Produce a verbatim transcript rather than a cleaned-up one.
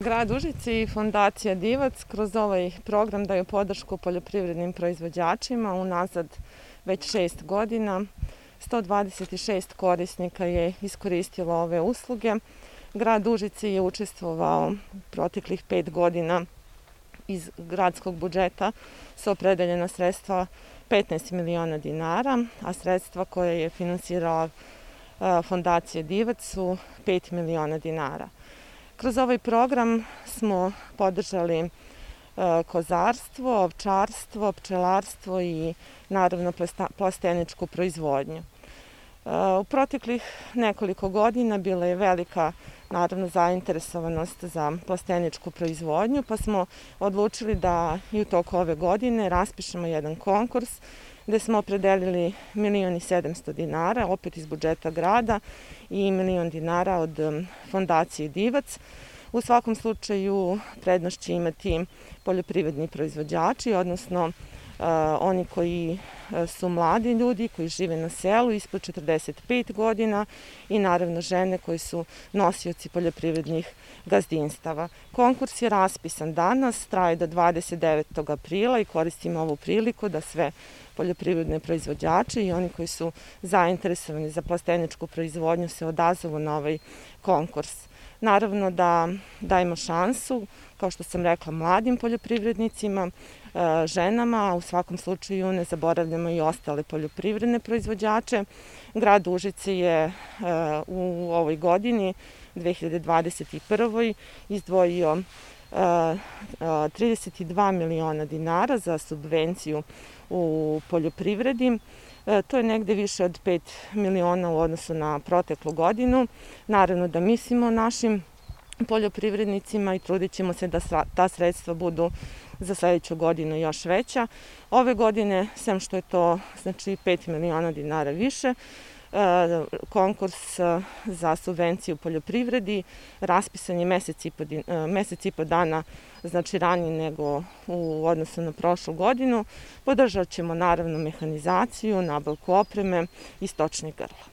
Grad Užice i Fondacija Divac kroz ovaj program daju podršku poljoprivrednim proizvođačima unazad već šest godina. sto dvadeset šest korisnika je iskoristilo ove usluge. Grad Užice je učestvovao proteklih pet godina iz gradskog budžeta su opredeljena sredstva petnaest miliona dinara, a sredstva koje je finansirala Fondacija Divac su pet miliona dinara. Kroz ovaj program smo podržali kozarstvo, ovčarstvo, pčelarstvo i naravno plasteničku proizvodnju. U proteklih nekoliko godina bila je velika naravno zainteresovanost za plasteničku proizvodnju, pa smo odlučili da i u toku ove godine raspišemo jedan konkurs gde smo opredelili milion i sedamsto dinara, opet iz budžeta grada, i milion dinara od Fondacije Divac. U svakom slučaju prednost će imati poljoprivredni proizvođači, odnosno oni koji su mladi ljudi, koji žive na selu ispod četrdeset pet godina i naravno žene koji su nosioci poljoprivrednih gazdinstava. Konkurs je raspisan danas, traje do dvadeset devetog aprila i koristimo ovu priliku da sve poljoprivredne proizvođače i oni koji su zainteresovani za plasteničku proizvodnju se odazovu na ovaj konkurs. Naravno da dajemo šansu, kao što sam rekla, mladim poljoprivrednicima, ženama, a u svakom slučaju ne zaboravljamo i ostale poljoprivredne proizvođače. Grad Užice je u ovoj godini, dve hiljade dvadeset prvoj. izdvojio trideset dva miliona dinara za subvenciju u poljoprivredi. To je negde više od pet miliona u odnosu na proteklu godinu. Naravno da mislimo o našim poljoprivrednicima i trudit ćemo se da ta sredstva budu za sledeću godinu još veća. Ove godine, sem što je to znači pet miliona dinara više, konkurs za subvenciju u poljoprivredi raspisan je mesec i po, mesec i po dana znači ranije nego u odnosu na prošlu godinu. Podržat ćemo naravno mehanizaciju, nabavku opreme i stočnih grla.